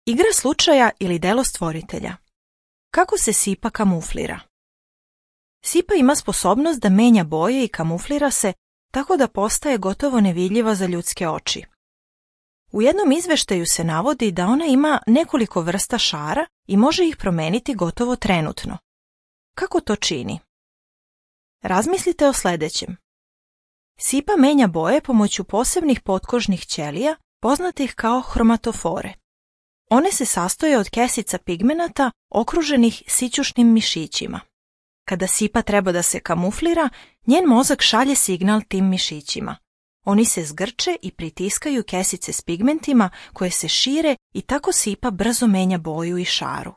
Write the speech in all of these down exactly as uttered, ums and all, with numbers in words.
Igra slučaja ili delo stvoritelja. Kako se sipa kamuflira? Sipa ima sposobnost da menja boje i kamuflira se tako da postaje gotovo nevidljiva za ljudske oči. U jednom izveštaju se navodi da ona ima nekoliko vrsta šara i može ih promeniti gotovo trenutno. Kako to čini? Razmislite o sljedećem. Sipa menja boje pomoću posebnih potkožnih ćelija, poznatih kao hromatofore. One se sastoje od kesica pigmenata okruženih sićušnim mišićima. Kada sipa treba da se kamuflira, njen mozak šalje signal tim mišićima. Oni se zgrče i pritiskaju kesice s pigmentima koje se šire i tako sipa brzo menja boju i šaru.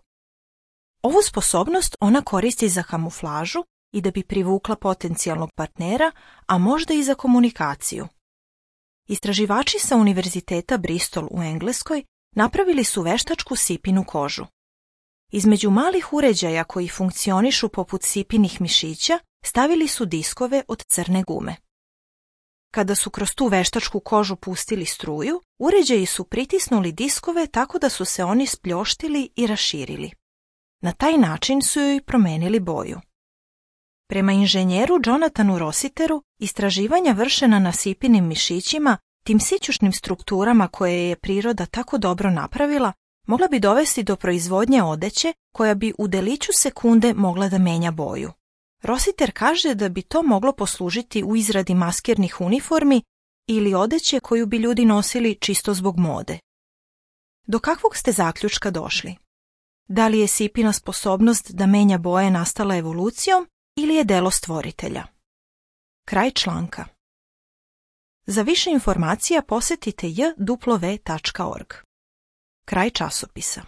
Ovu sposobnost ona koristi za kamuflažu i da bi privukla potencijalnog partnera, a možda i za komunikaciju. Istraživači sa Univerziteta Bristol u Engleskoj napravili su veštačku sipinu kožu. Između malih uređaja koji funkcionišu poput sipinih mišića stavili su diskove od crne gume. Kada su kroz tu veštačku kožu pustili struju, uređaji su pritisnuli diskove tako da su se oni spljoštili i raširili. Na taj način su joj promenili boju. Prema inženjeru Jonathanu Rossiteru, istraživanja vršena na sipinim mišićima, tim sićušnim strukturama koje je priroda tako dobro napravila, mogla bi dovesti do proizvodnje odeće koja bi u deliću sekunde mogla da menja boju. Rossiter kaže da bi to moglo poslužiti u izradi maskirnih uniformi ili odeće koju bi ljudi nosili čisto zbog mode. Do kakvog ste zaključka došli? Da li je sipina sposobnost da menja boje nastala evolucijom ili je delo stvoritelja? Kraj članka. Za više informacija posjetite j w tačka org. Kraj časopisa.